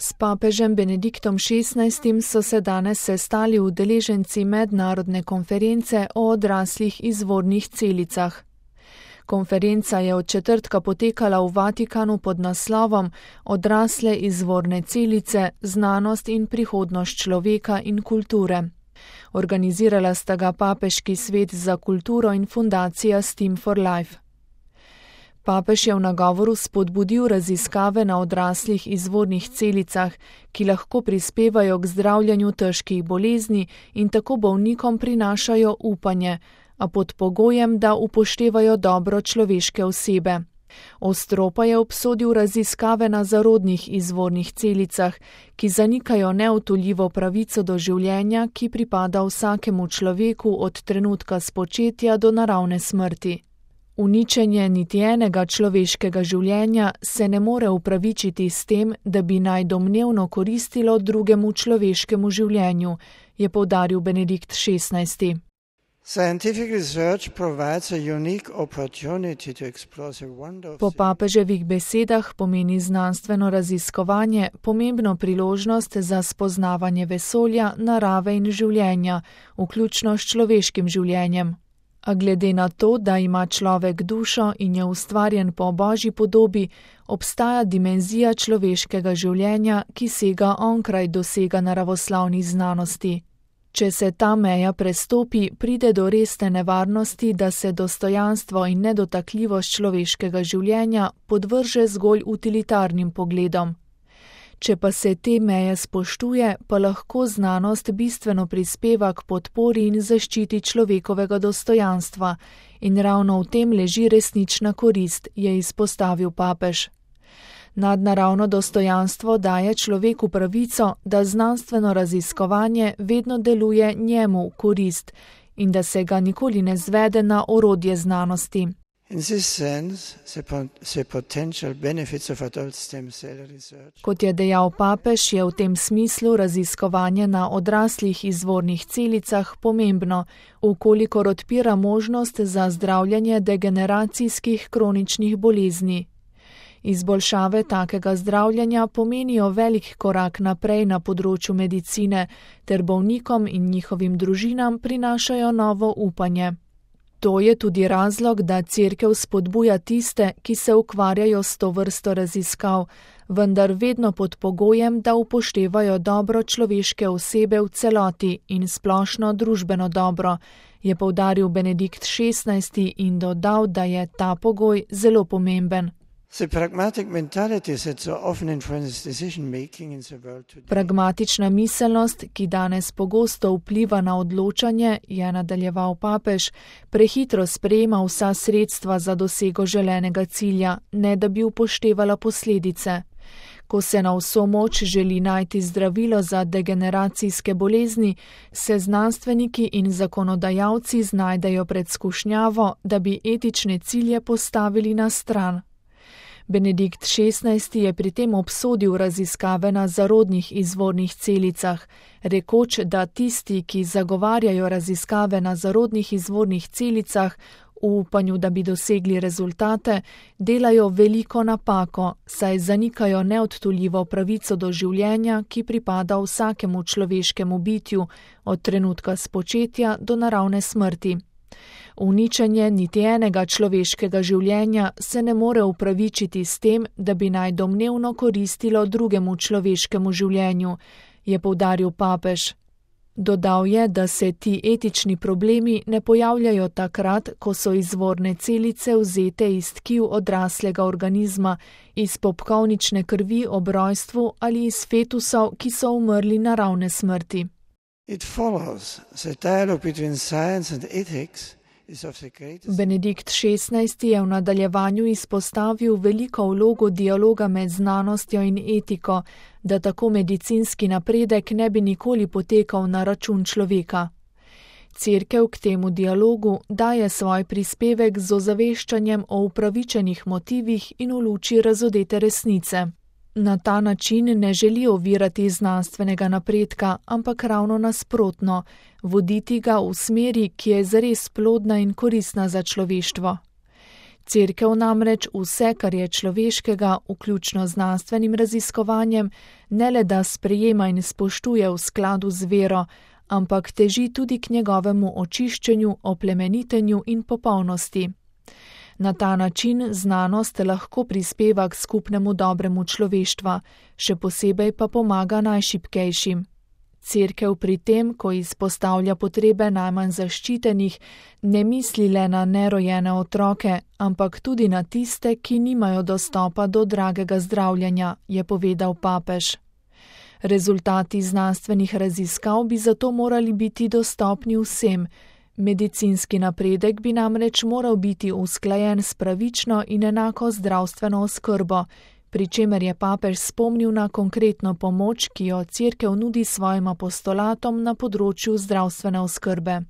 S papežem Benediktom XVI so se danes sestali udeleženci mednarodne konference o odraslih izvornih celicah. Konferenca je od četrtka potekala v Vatikanu pod naslovom Odrasle izvorne celice, znanost in prihodnost človeka in kulture. Organizirala sta ga Papeški svet za kulturo in fundacija Steam for Life. Papež je v nagovoru spodbudil raziskave na odraslih izvornih celicah, ki lahko prispevajo k zdravljenju težkih bolezni in tako bolnikom prinašajo upanje, a pod pogojem, da upoštevajo dobro človeške osebe. Ostro pa je obsodil raziskave na zarodnih izvornih celicah, ki zanikajo neodtujljivo pravico do življenja, ki pripada vsakemu človeku od trenutka spočetja do naravne smrti. Uničenje niti enega človeškega življenja se ne more upravičiti s tem, da bi naj domnevno koristilo drugemu človeškemu življenju, je poudaril Benedikt XVI. Po papeževih besedah pomeni znanstveno raziskovanje pomembno priložnost za spoznavanje vesolja, narave in življenja, vključno s človeškim življenjem. A glede na to, da ima človek dušo in je ustvarjen po Božji podobi, obstaja dimenzija človeškega življenja, ki sega onkraj dosega naravoslovnih znanosti. Če se ta meja prestopi, pride do resne nevarnosti, da se dostojanstvo in nedotakljivost človeškega življenja podvrže zgolj utilitarnim pogledom. Če pa se te meje spoštuje, pa lahko znanost bistveno prispeva k podpori in zaščiti človekovega dostojanstva in ravno v tem leži resnična korist, je izpostavil papež. Nadnaravno dostojanstvo daje človeku pravico, da znanstveno raziskovanje vedno deluje njemu v korist in da se ga nikoli ne zvede na orodje znanosti. Kot je dejal papež, je v tem smislu raziskovanje na odraslih izvornih celicah pomembno, vkolikor odpira možnost za zdravljenje degeneracijskih kroničnih bolezni. Izboljšave takega zdravljenja pomenijo velik korak naprej na področju medicine, ter bolnikom in njihovim družinam prinašajo novo upanje. To je tudi razlog, da Cerkev spodbuja tiste, ki se ukvarjajo s to vrsto raziskav, vendar vedno pod pogojem, da upoštevajo dobro človeške osebe v celoti in splošno družbeno dobro, je poudaril Benedikt XVI in dodal, da je ta pogoj zelo pomemben. Pragmatična miselnost, ki danes pogosto vpliva na odločanje, je nadaljeval papež, prehitro sprejema vsa sredstva za dosego želenega cilja, ne da bi upoštevala posledice. Ko se na vso moč želi najti zdravilo za degeneracijske bolezni, se znanstveniki in zakonodajalci znajdejo pred skušnjavo, da bi etične cilje postavili na stran. Benedikt XVI je pri tem obsodil raziskave na zarodnih izvornih celicah, rekoč, da tisti, ki zagovarjajo raziskave na zarodnih izvornih celicah, v upanju, da bi dosegli rezultate, delajo veliko napako, saj zanikajo neodtujljivo pravico do življenja, ki pripada vsakemu človeškemu bitju, od trenutka spočetja do naravne smrti. Uničenje niti enega človeškega življenja se ne more upravičiti s tem, da bi naj domnevno koristilo drugemu človeškemu življenju, je poudaril papež. Dodal je, da se ti etični problemi ne pojavljajo takrat, ko so izvorne celice vzete iz tkiv odraslega organizma, iz popkovnične krvi ob rojstvu ali iz fetusov, ki so umrli naravne smrti. Benedikt XVI je v nadaljevanju izpostavil veliko vlogo dialoga med znanostjo in etiko, da tako medicinski napredek ne bi nikoli potekal na račun človeka. Cerkev k temu dialogu daje svoj prispevek z ozaveščanjem o upravičenih motivih in v luči razodete resnice. Na ta način ne želi ovirati znanstvenega napredka, ampak ravno nasprotno, voditi ga v smeri, ki je zares plodna in koristna za človeštvo. Cerkev namreč vse, kar je človeškega, vključno z znanstvenim raziskovanjem, ne le da sprejema in spoštuje v skladu z vero, ampak teži tudi k njegovemu očiščenju, oplemenitenju in popolnosti. Na ta način znanost lahko prispeva k skupnemu dobremu človeštva, še posebej pa pomaga najšibkejšim. Cerkev pri tem, ko izpostavlja potrebe najmanj zaščitenih, ne misli le na nerojene otroke, ampak tudi na tiste, ki nimajo dostopa do dragega zdravljenja, je povedal papež. Rezultati znanstvenih raziskav bi zato morali biti dostopni vsem. Medicinski napredek bi namreč moral biti usklajen s pravično in enako zdravstveno oskrbo, pri čemer je papež spomnil na konkretno pomoč, ki jo Cerkev nudi svojim apostolatom na področju zdravstvene oskrbe.